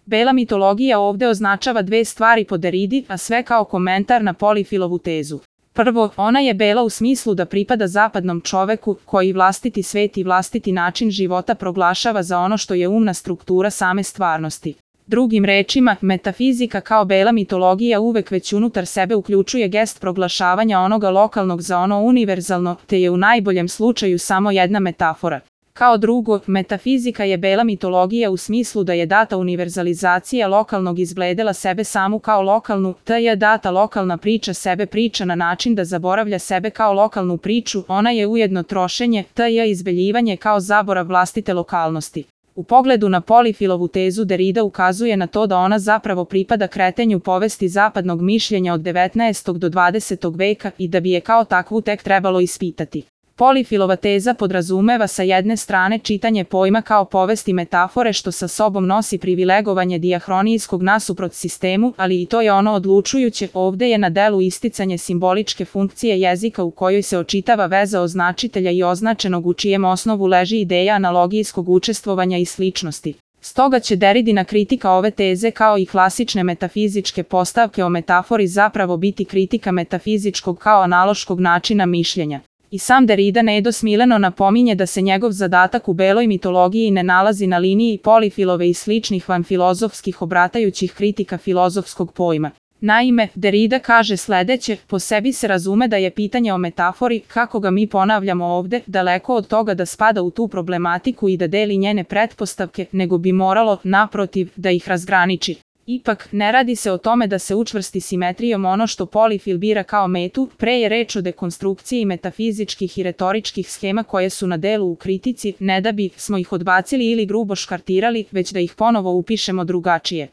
Bela mitologija ovde označava dve stvari po Deridi, a sve kao komentar na Polifilovu tezu. Prvo, ona je bela u smislu da pripada zapadnom čoveku, koji vlastiti svet i vlastiti način života proglašava za ono što je umna struktura same stvarnosti. Drugim rečima, metafizika kao bela mitologija uvek već unutar sebe uključuje gest proglašavanja onoga lokalnog za ono univerzalno, te je u najboljem slučaju samo jedna metafora. Kao drugo, metafizika je bela mitologija u smislu da je data univerzalizacija lokalnog izbledela sebe samu kao lokalnu, te je data lokalna priča sebe priča na način da zaboravlja sebe kao lokalnu priču, ona je ujedno trošenje, te je izbeljivanje kao zaborav vlastite lokalnosti. U pogledu na Polifilovu tezu Derida ukazuje na to da ona zapravo pripada kretenju povesti zapadnog mišljenja od 19. do 20. veka i da bi je kao takvu tek trebalo ispitati. Polifilova teza podrazumeva sa jedne strane čitanje pojma kao povesti metafore što sa sobom nosi privilegovanje dijahronijskog nasuprot sistemu, ali i to je ono odlučujuće, ovde je na delu isticanje simboličke funkcije jezika u kojoj se očitava veza označitelja i označenog u čijem osnovu leži ideja analogijskog učestvovanja i sličnosti. Stoga će Deridina kritika ove teze kao i klasične metafizičke postavke o metafori zapravo biti kritika metafizičkog kao analoškog načina mišljenja. I sam Derida nedosmiljeno napominje da se njegov zadatak u beloj mitologiji ne nalazi na liniji Polifilove i sličnih vanfilozofskih obratajućih kritika filozofskog pojma. Naime, Derida kaže sledeće, po sebi se razume da je pitanje o metafori, kako ga mi ponavljamo ovde, daleko od toga da spada u tu problematiku i da deli njene pretpostavke, nego bi moralo, naprotiv, da ih razgraniči. Ipak, ne radi se o tome da se učvrsti simetrijom ono što Polifil bira kao metu, pre je reč o dekonstrukciji metafizičkih i retoričkih schema koje su na delu u kritici, ne da bi smo ih odbacili ili grubo škartirali, već da ih ponovo upišemo drugačije.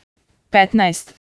15.